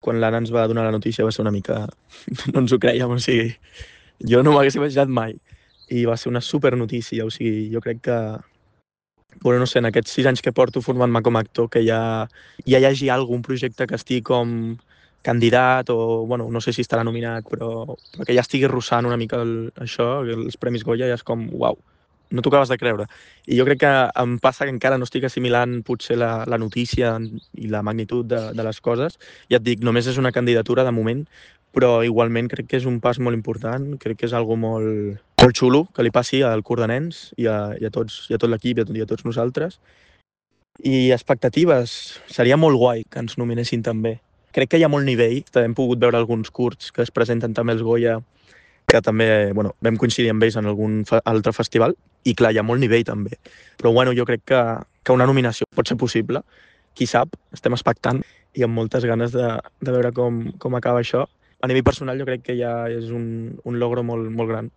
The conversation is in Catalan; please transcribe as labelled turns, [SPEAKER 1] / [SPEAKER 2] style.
[SPEAKER 1] Quan l'Anna ens va donar la notícia va ser una mica... no ens ho creiem, o sigui, jo no m'hagués imaginat mai. I va ser una super notícia, o sigui, jo crec que... Bueno, no sé, en aquests 6 anys que porto formant-me com a actor, que ja hi hagi algun projecte que estigui com candidat o, bueno, no sé si estarà nominat, però que ja estigui russant una mica això, els Premis Goya, ja és com, uau, no t'ho acabes de creure. I jo crec que em passa que encara no estic assimilant potser la notícia i la magnitud de les coses. Ja et dic, només és una candidatura de moment, però igualment crec que és un pas molt important, crec que és algo molt xulo que li passi al curs de nens i a tot l'equip i a tots nosaltres. I expectatives, seria molt guai que ens nominessin també. Crec que hi ha molt nivell, hem pogut veure alguns curts que es presenten també als Goya, que també, bueno, vam coincidir amb ells en algun altre festival, i clar, hi ha molt nivell també. Però bueno, jo crec que una nominació pot ser possible, qui sap, estem expectant i amb moltes ganes de veure com acaba això. A nivell personal jo crec que ja és un logro molt gran.